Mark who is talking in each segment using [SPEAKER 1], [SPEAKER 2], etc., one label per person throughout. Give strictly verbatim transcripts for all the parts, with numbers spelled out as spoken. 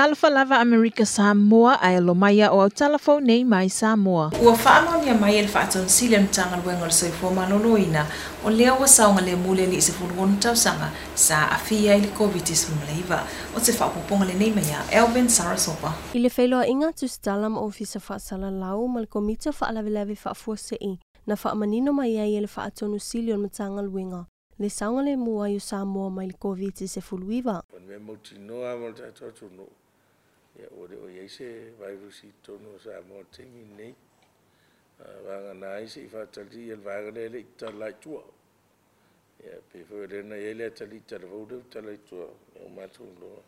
[SPEAKER 1] Talofa lava Amerika Samoa ae alo mai o au talafou nei mai Samoa. Ua faamaonia mai e le Faatonusili o le Matagaluega o le Soifua Maloloina o lea ua saogalemu le alii sefulu tausaga sa aafia i le Koviti sefulu ma iva. O se faaopoopoga lenei mai ia Elvin Sarasopa.
[SPEAKER 2] I le feiloaiga tusitala ma ofisa faasalalau ma le Komiti o Faalavelave Faafuasei na faamanino mai ai e le Faatonusili o le Matagaluega le saogalemu ai o Samoa mai le Koviti sefulu iva.
[SPEAKER 3] O le mea mautinoa ma le tatou atunuu, ia ua le o i ai se virus i totonu o Samoa i le taimi lenei. Vagana ai se i faatali le vaega lea e le i tatala i tua. Ia pei foi o lea na i ai le atalii talavou lea ua tala i tua, ia ua matou iloa,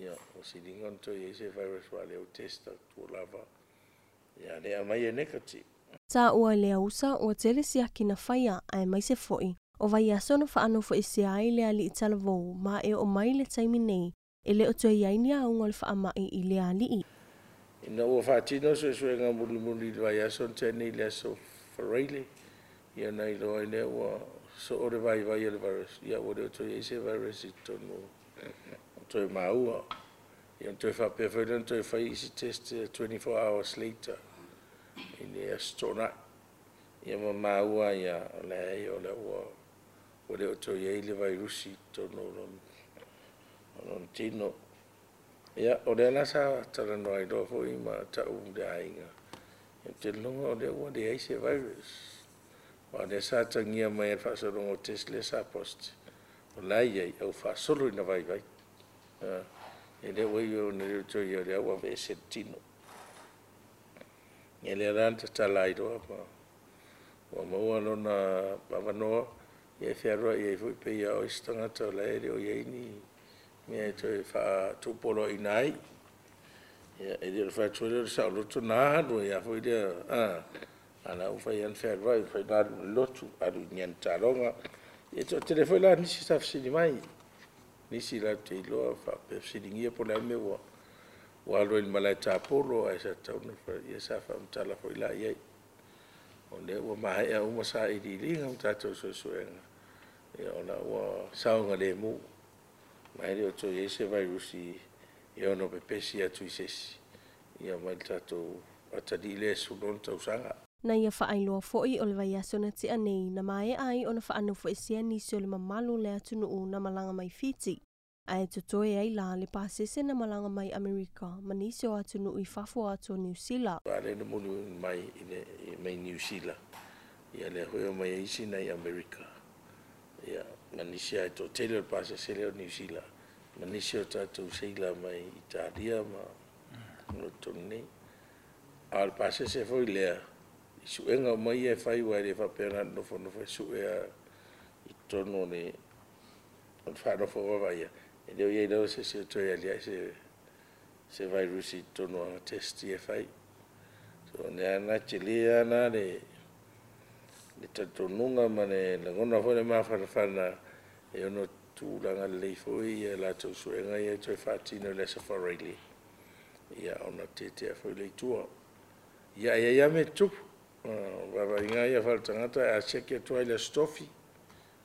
[SPEAKER 3] ia ua siliga ona toe i ai se virus aua o lea ua test atu lava. Ia lea aumai e negative.
[SPEAKER 2] Sa ua le ausa ua tele siaki na faia ae mai se foi. O vaiaso na faanofoesea ai le alii talavou ma e oo mai le taimi nei e le o toe i ai ni auga o le faamai i le alii.
[SPEAKER 3] Ina ua faatino suesuega mulimuli i le vaiaso na tea nei i le aso Faraile, ia na iloa ai lea ua soo le vaivai o le virus, ia ua le o toe i ai se virus i totonu o toe maua. Ia toe faapea foi lea ona toe fai isi test twenty-four hours later i le aso Toonai. Ia ma maua ia o leai o lea ua ua le o toe i ai le virus i totonu o lona o lona tino. Ia, o lea la sa talanoa ai loa foi ma tau le aiga. Ia te logo o lea ua leai se virus. Aua o lea sa tagia mai e le faasologa o test lea sa positive. O la e i ai au faasolo ina vaivai. E le ua i ona le o toe i ai o lea ua aveese le tino. Ia lea la na tatala ai loa ma ua maua lona avanoa ia e fealuai ai foi pei o isi tagata o la e le o i ai ni mea e toe faatupoloaiina ai. Ia e le o le fai atu foi lea o le saoloto na alu ai lava foi lea a la ua fai lava ona fealuai, fai ona alu i le lotu, alu i ni taaloga. Ia e toatele foi la nisi sa fesili mai, nisi latou te iloa faapea fesiligia po o le a le mea ua ua alu ai i le malae tapolo ae sa tatau ona ia sa faamatala foi la i ai. O lea ua maea uma sailiiliga ma tatou suesuega, ia o la ua saogalemu. Ma e le o toe i ai se virus e ono pepesi atu i se isi, ia mai le tatou atalii lea e sefulu tausaga.
[SPEAKER 2] Na ia faailoa foi o le vaiaso na tea nei na maea ai ona faanofoesea nisi o le mamalu o le atunuu na malaga mai Fiti. Ae totoe ai la le pasese na malaga mai Amerika ma nisi o atunuu i fafo atu o Niu Sila.
[SPEAKER 3] A lea na muli mai i le mai Niu Sila, ia lea foi o mai ai isi nai Amerika. Ia ma nisi ai toatele o le pasese lea o Niu Sila, ma nisi o tatou seila mai Italia ma o totonu nei. A o le pasese foi lea, i suega uma ia e fai aua e le faapea na nofonofo e sue i totonu o le o le faanofo vaavaia, e le o i ai lava se isi o toe aliae se se virus i totonu o test ia e fai. So, lea na tele lava la le le talitonuga ma le lagona foi le mafanafana e ono tulaga lelei foi ia latou suega ia e toe faatino i le aso Faraile, ia ona tetea foi lea i tua. Ia e i ai lava mea e tutupu. Vaavaaiga ia faaletagata a siaki atu ai le aso Tofi,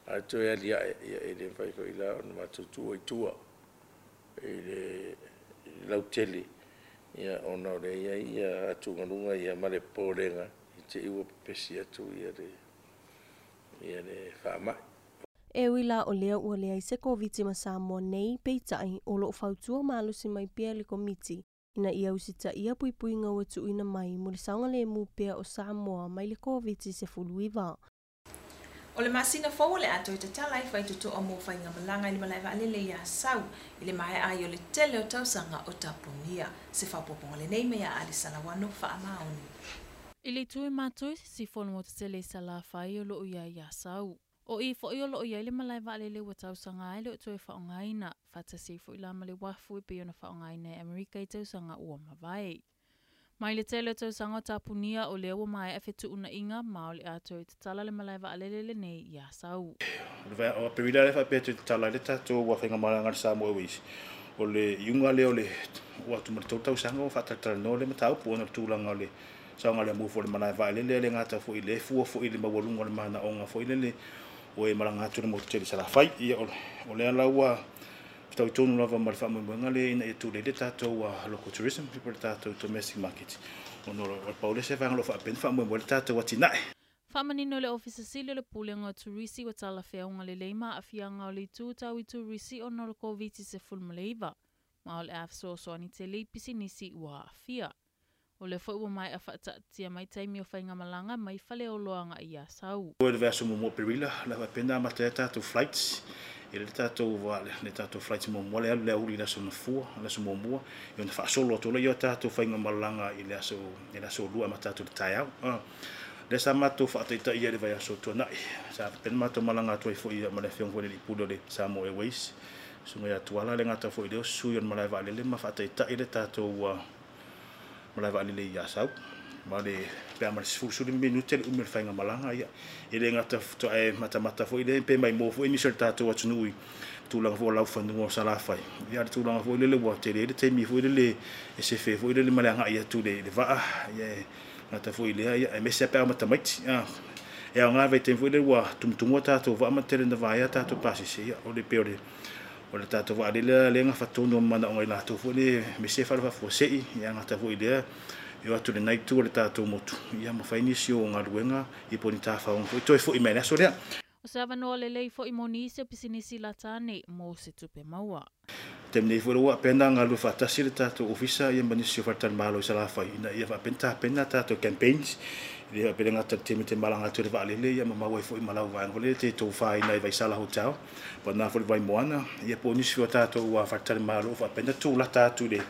[SPEAKER 3] ae toe aliae, ia e le mafai foi la ona matou tuua i tua i le lautele, ia ona o lea e i ai ia atugaluga ia ma le popolega i te i ua pepesi atu ia le ia le faamai.
[SPEAKER 2] E ui la o lea ua leai se Koviti ma Samoa nei peitai o loo fautua malosi mai pea le Komiti ina ia usitaia puipuiga ua tuuina mai mo le saogalemu pea o Samoa mai le Koviti sefulu iva.
[SPEAKER 1] O le masina fou o le a toe tatala ai faitotoa mo faigamalaga i le malae vaalele i Asau i le maea ai o le tele o tausaga o tapunia. Se faaopoopoga lenei mai ia Ali Salawano Faamaoni.
[SPEAKER 4] I le itu e matou i sisifo o le motu tele i Salafai o loo i ai i Asau. O i foi o loo i ai le malae vaalele ua tausaga ai le o toe faaaogaina, faatasi foi la ma le uafu e pei ona faaaogaina e Amerika i tausaga ua mavae. Mai le tele o tausaga o tapunia o lea ua maea fetuunaiga ma o le a toe tatala le malae vaalele lenei i Asau.
[SPEAKER 5] O Aperila le faapea toe tatala ai le tatou faigamalaga le Samoa Airways. O le iuga lea o le ua atu ma le tolu tausaga ua faatalatalanoa le mataupu ona o le tulaga o le saogalemu foi o le malae vaalele le gata foi i le fua foi i le maualuga o le manaoga foi lele o e malaga atu le motu tele i Salafai. Ia o lea la ua Tau tonu lava ma le faamoemoega lea ina ia tulei le tatou local tourism po le tatou domestic market. Ona o le pau le se vaega o lo o faapena faamoemoe le tatou atinae.
[SPEAKER 4] Faamanino le Ofisa Sili o le Pulega o Turisi ua talafeauga lelei ma aafiaga o le itu tau i turisi ona o le Koviti sefulumalaiva. Ma o le a fesoasoani tele i pisinisi ua aafia. O le foi ua maea faataatia mai taimi o faigamalaga mai faleoloaga i Asau.
[SPEAKER 5] O le vaiaso muamua o Perila, le faapena amata ai tatou flights. E le tatou le tatou flights muamua le alu le auli i le aso Gafua, le aso muamua, ia ona faasolo atu lea o tatou faigamalaga i le aso i le aso lua amata atu i le taeao. Lea sa matou faataitaia i le vaiaso tuanai. Sa faapena matou malaga atu ai foi ma le afioga foi i le alii pule o le Samoa Airways. Susuga ia Tuala le gata foi lea o sui o le malae vaalele ma faataitai le tatou malae vaalele i Asau. Ma le pe a ma le sefulu minute le umi o le faigamalaga ia. E le gata e matamata foi le pe maimoa foi nisi o le tatou atunuu i tulaga foi o laufanua o Salafai. Ia le tulaga foi lele ua tele le taimi foi lele e sefe foi lele ma le agai atu le le vaa. Ia gata foi lea ia aemaise pe a matamaiti. E aoga vaitaimi foi lele ua tumutumua tatou vaa ma tele na vaea tatou pasese ia o le pe o le o le tatou vaalele lea gafatonu ma manaoga i latou foi le aemaise faalefaafuasei ia gata foi lea e o atu lenei itu o le tatou motu ia ma fai nisi o galuega ia po o ni tafaoga foi toe foi mai le aso lea.
[SPEAKER 4] O se avanoa lelei foi mo nisi o pisinisi latane mo se tupe maua.
[SPEAKER 5] Taimi nei foi ua faapena galue faatasi le tatou ofisa ia ma nisi o faletalimalo i Salafai ina ia faapena tapena tatou campaigns i le faapena gata le taimi te malaga atu i le vaalele ia ma maua ai foi ma lau vaega foi lele te tofaina i Vaisala Hotel po o na foi le Vaimoana ia po o nisi o tatou faletalimalo o faapena tulata atu i le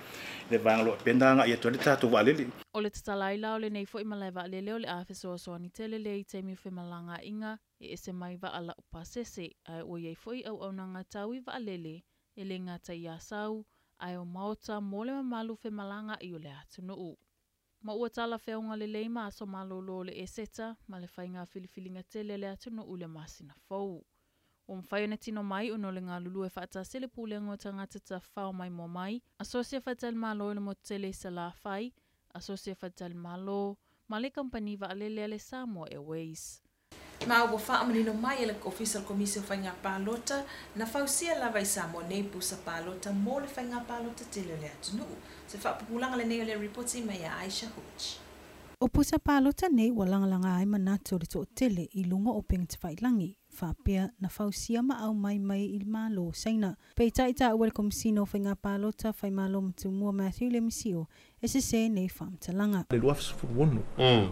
[SPEAKER 5] le vaega o lo o faapena agai atu ai le tatou vaalele.
[SPEAKER 4] O le tatala ai la o lenei foi malae vaalele o le a fesoasoani tele lea i taimi o femalagaaiga e ese mai vaa lau pasese ae ua iai foi auaunaga tau i vaalele e le gata i Asau ae o maota mo le mamalu femalagaai o le atunuu. Ma ua talafeauga lelei ma aso malolo o le Eseta ma le faiga filifiliga tele le atunuu i le masina fou. Ua mafai ona tino mai ona o le galulue faatasi le pulega o tagata tafafao maimoa mai, asosi e faletalimalo i le motu tele i Salafai, asosi e faletalimalo ma le kamupani vaalele a le Samoa Airways.
[SPEAKER 1] Ma ua faamanino mai e le Ofisa o le Komisi o Faiga Palota na fausia lava i Samoa nei pusa palota mo le faiga palota tele o le atunuu. Se faapupulaga lenei o le ripoti mai a Aisha Hooch.
[SPEAKER 6] O pusa palota nei ua lagalaga ai manatu o le toatele i luga o upega tafailagi, faapea na fausia ma aumai mai i le Malo o Saina. Peitai taua le Komisina o Faiga Palota Faimalo Matumua Matthew Lemisio e sesē nei faamatalaga.
[SPEAKER 7] Le lua sefulu ono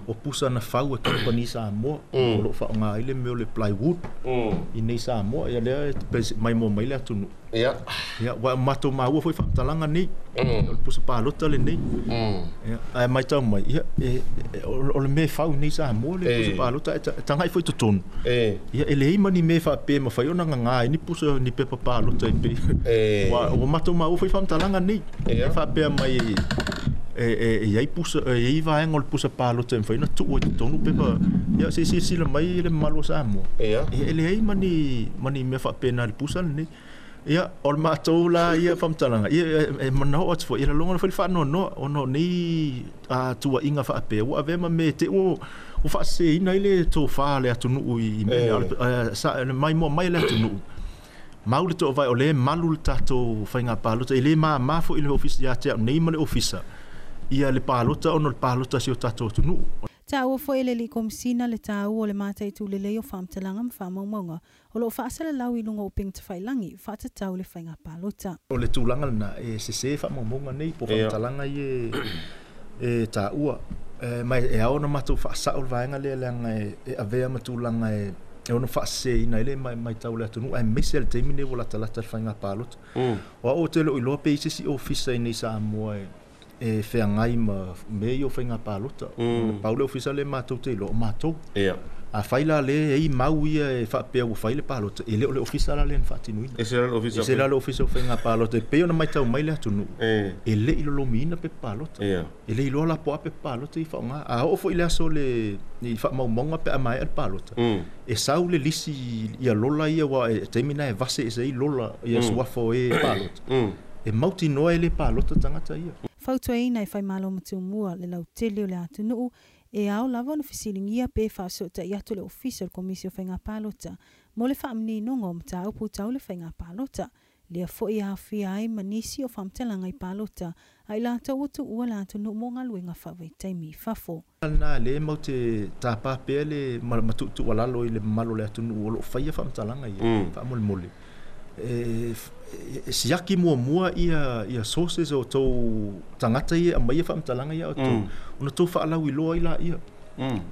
[SPEAKER 7] o pusa na fau e kampani Samoa o loo faaaoga ai le mea o le plywood i nei Samoa ia lea e maimoa mai le atunuu.
[SPEAKER 8] Ia.
[SPEAKER 7] Ia ua matou maua foi faamatalaga nei o le pusa palota lenei. Ia ae matau mai ia o le mea e fau nei Samoa le pusa palota e tagai foi totonu. Ia e leai ma ni mea faapea mafai ona gaga ai ni pusa ni pepa palota e pei. Ua ua matou maua foi faamatalaga nei e faapea mai e e iai pusa e iai vaega o le pusa palota e mafai ona tuu ai totonu pepa ia se silasila mai le mamalu o Samoa.
[SPEAKER 8] Ia.
[SPEAKER 7] E leai ma ni ma ni mea faapena i le pusa lenei. Ia o le matou la ia faamatalaga ia e manao atu foi ia lalogona foi le faanoanoa ona o nei tuuaiga faapea ua avea ma mea te ua ua faaseseina ai le tofa le atunuu i mea maimoa mai le atunuu. Mau le toavae o lea malu le tatou faiga palota e le māmā foi i le ofisa ia te au nei ma le ofisa ia le palota ona o le palota si o tatou atunuu.
[SPEAKER 6] Taua foi e le alii komisina le taua o le mataitu lelei o faamatalaga ma faamaumauga o loo faasalalau i luga o upega tafailagi faatatau le faiga palota.
[SPEAKER 7] O le tulaga lena e sesē faamaumauga nei po o faamatalaga ia e taua ma e ao ona matou faasao le vaega lea leaga e avea ma tulaga e ono faaseseina ai le matau o le atunuu aemaise le taimi lenei ua latalata le faiga palota. O au ou te le o iloa pe i ai se isi ofisa i nei Samoa e e feagai ma mea ia o faiga palota. Pau le ofisa lea matou te iloa o matou. Afai la le e ai mau ia e faapea ua fai le palota, e le o le ofisa la lea na faatinoina.
[SPEAKER 8] E se la le ofisa.
[SPEAKER 7] E se la le ofisa o faiga palota e pei ona matau mai le atunuu. E le i lolomiina pepa palota. E le iloa la po o a pepa palota i faaaoga. A oo foi le aso le i faamaumauga pe a maea le palota. E sau le lisi ia lola ia aua e taimi na e vase ese ai lola ia suafa o e palota. E mautinoa e le palota tagata ia.
[SPEAKER 6] Fautuaina e Faimalo Matumua le lautele o le atunuu e ao lava ona fesiligia pe faasoatai atu le ofisa o le Komisi o Faiga Palota mo le faamaninoga o mataupu tau le faiga palota. Lea fo'i aafia ai ma nisi o faamatalaga i palota a i latou ua tuua le atunuu mo galuega faavaitaimi i fafo.
[SPEAKER 7] Na le mau te tāpā pea le matuutuualalo i le mamalu o le atunuu o loo faia faamatalaga ia faamolemole. E siaki muamua ia ia sources o tou tagata ia aumai ia faamatalaga ia outou ona tou faalauiloa ai laia.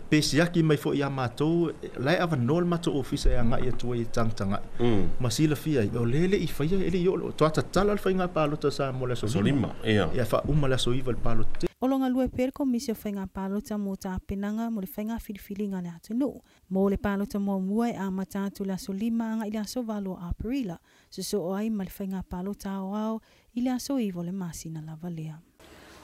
[SPEAKER 7] Pe siaki mai fo'i ia matou la e avanoa le matou ofisa e agai atu ai e tagatagai ma silafia ai o lea e le'i faia e le'i oo toa tatala le faiga palota sa mo le aso lima ia faauma le aso iva le palota.
[SPEAKER 6] O lo galue pea le Komisi o Faiga Palota mo tapenaga mo le faiga filifiliga le atunuu. Mo le palota muamua e amata atu le aso lima agai le aso valo o Aperila, sosoo ai ma le faiga palota aoao i le aso iva o le masina lava lea.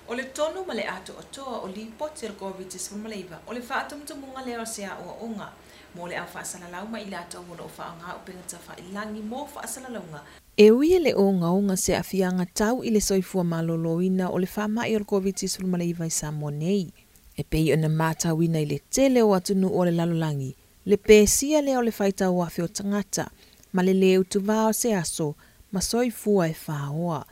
[SPEAKER 1] O le tonu ma le atoatoa o lipoti o le COVID nineteen o le faatumutumuga lea o se aoaoga mo le au faasalalau ma i latou o loo faaaoga upega tafailagi mo faasalalauga. E ui e le ogaoga se aafiaga tau i le soifua malōlōina o le faama'i o le COVID nineteen i Samoa nei. E pei ona matauina i le tele o atunuu o le lalolagi, le pesia lea o le faitau afe o tagata, ma le lē utuvā o se aso ma soifua e fāoa.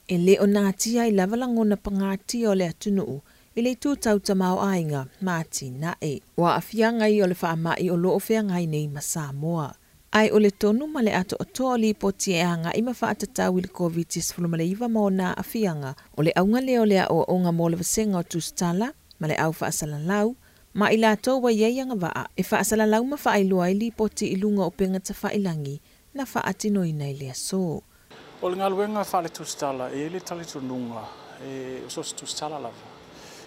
[SPEAKER 1] E le o natia i lava lagona pagatia o le atunuu i le itu tautamāo'aiga ma atinae. Ua aafiaga ia o le faama'i o loo feagai nei ma Samoa. Ae o le tonu ma le atoatoa o lipoti e aga'i ma faatatau i le COVID nineteen ma ona aafiaga o le auga lea o le aoaoga mo le vasega o tusitala ma le au faasalalau ma i latou ua iai agavaa e faasalalau ma faailoa ai lipoti i luga o upega tafailagi na faatinoina i le aso.
[SPEAKER 8] O le galuega faale-tusitala e le talitonuga e o so se tusitala lava.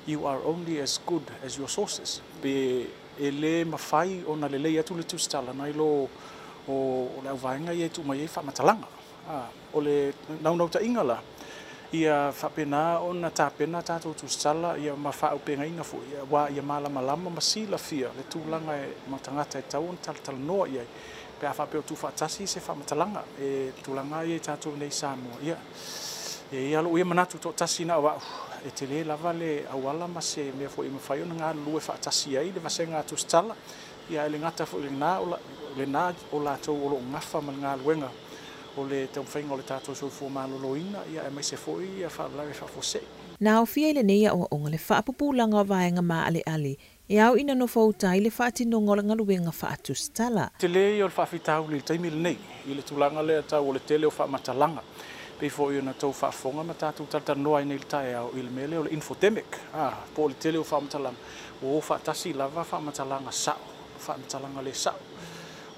[SPEAKER 8] You are only as good as your sources. Pe e le mafai ona lelei atu le tusitala nai lo o, o le auvaega ia e tuu mai ai faamatalaga. Ah, o le naunautaiga la ia faapena ona tapena tatou tusitala ia ma faaupegaina foi ua ia malamalama ma silafia le tulaga e ma tagata e tau ona talatalanoa i ai. Pe a faapea o tuufaatasi se faamatalaga e tulaga ia i tatou nei Samoa. Ia e ia lou ia manatu toatasi na o a'u e tele lava le auala ma se mea foi e mafai ona galulue faatasi ai le vasega a tusitala ia e le gata foi lena o lena o latou o loo gafa ma le galuega o le taumafaiga o le tatou soifua malōlōina ia aemaise foi ia faalavelave faafuasei.
[SPEAKER 1] Na aofia i lenei aoaoga le faapupulaga o vaega maaleale e au ina nofouta ai le faatinoga o le galuega faatusitala.
[SPEAKER 8] Tele ia o le faafitauli i le taimi lenei i le tulaga lea tau o le tele o faamatalaga pei foi ona tou faafofoga ma tatou talatalanoa ai nei le taeao i le mea lea o le infodemic. Ah, po o le tele o faamatalaga ua o faatasi lava faamatalaga sa'o, faamatalaga le sa'o.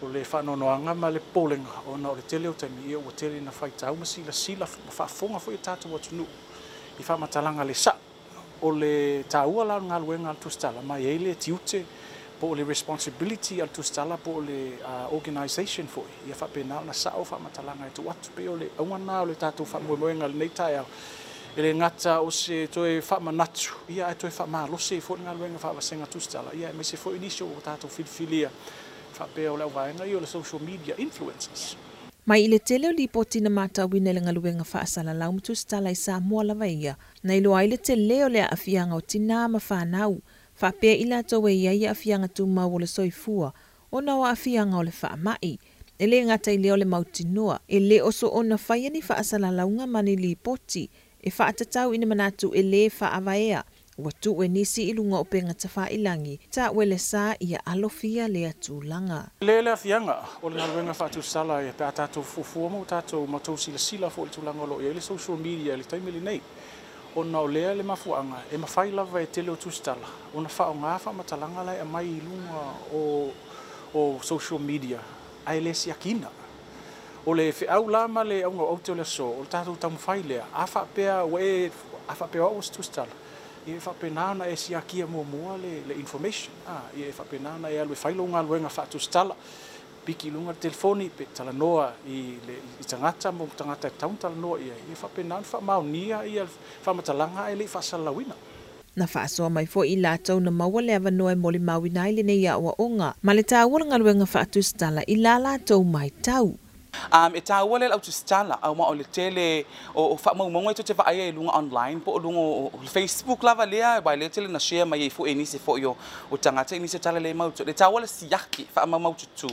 [SPEAKER 8] O le faanoanoaga ma le popolega ona o le tele o taimi ia ua tele ina faitau ma silasila ma faafofoga foi o tatou atunuu i faamatalaga le sa'o. O le taua la o le galuega a le tusitala ma e i ai le tiute po o le responsibility a le tusitala po o le uh, organisation foi ia faapena ona sa'o faamatalaga e tuu atu. Pei o le auga lena o le tatou faamoemoega lenei taeao e le gata o se toe faamanatu ia ae toe faamalosi ai foi le galuega faavasega tusitala ia aemaise foi nisi o tatou filifilia faapea o le auvaega ia o le social media influencers.
[SPEAKER 1] Mai i le tele o lipoti na matauina i le galuega faasalalau ma tusitala i Samoa lava ia, na iloa ai le tele o le aafiaga o tinā ma fanau, faapea i latou e iai aafiaga tumau o le soifua, ona o aafiaga o le faama'i. E le gata i lea o le mautinoa, e le o soona faia ni faasalalauga ma ni lipoti, e faatatau ina manatu e lē faavaea, ua tuu e nisi i luga o upega tafailagi, ta'ue le sa ia alofia lea tulaga.
[SPEAKER 8] Le le afiaga o le galuega faatusitala e pe a tatou fuafua ma tatou matou silasila foi i le tulaga o loo i ai le social media i le taimi lenei. Ona o lea le mafuaaga e mafai lava e tele o tusitala ona faaaoga faamatalaga la e aumai i luga o, o social media ae le siakiina. O le feau la ma le auga o aute o le aso o le tatou taumafai lea a faapea ua e a faapea o au se tusitala ia e faapena ona e siakia muamua le, le information. Ah, ia e faapena ona e alu e fai lou galuega faatusitala piki i luga le telefoni pe talanoa i le i tagata mo tagata e tatau ona talanoa i ai ia faapena ona faamaonia ia faamatalaga ae le'i faasalalauina.
[SPEAKER 1] Na faasoa mai foi i latou na maua le avanoa e molimauina ai lenei aoaoga ma le taua o le galuega faatusitala i la latou matau.
[SPEAKER 9] Um, e tāua le au tusitala au ma o le tele o, o faamaumauga e tou te vaaia i luga online po o luga o, o Facebook lava lea uā lea tele na share mai ai foʻi e nisi foʻi o, o tagata i nisi o tala le mau le tāua le siaki faamaumau tutū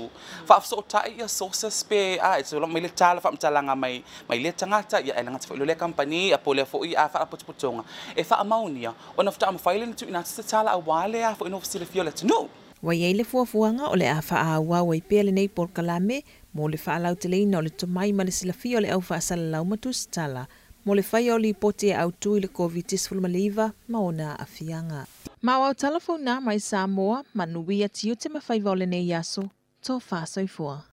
[SPEAKER 9] faafesootai ia sources pe a e tolo mai le tala faamatalaga mai mai lea tagata ia e lagata foʻi lo lea kampani a po lea foʻi a faalapotopotoga e faamaunia ona fataamafai le na tuuina atu se tala auā le a foʻi no fesilafia o le atunuu.
[SPEAKER 1] Ua iai le fuafuaga o le a faaauau ai pea lenei polokalame mo le faalauteleina o le tomai ma le silafia o le au faasalalau ma tusitala mo le faia o lipoti e autū i le COVID nineteen ma ona aafiaga. Ma o au talafou mai Samoa, manuia tiute ma faiva o lenei aso, tofa soifua.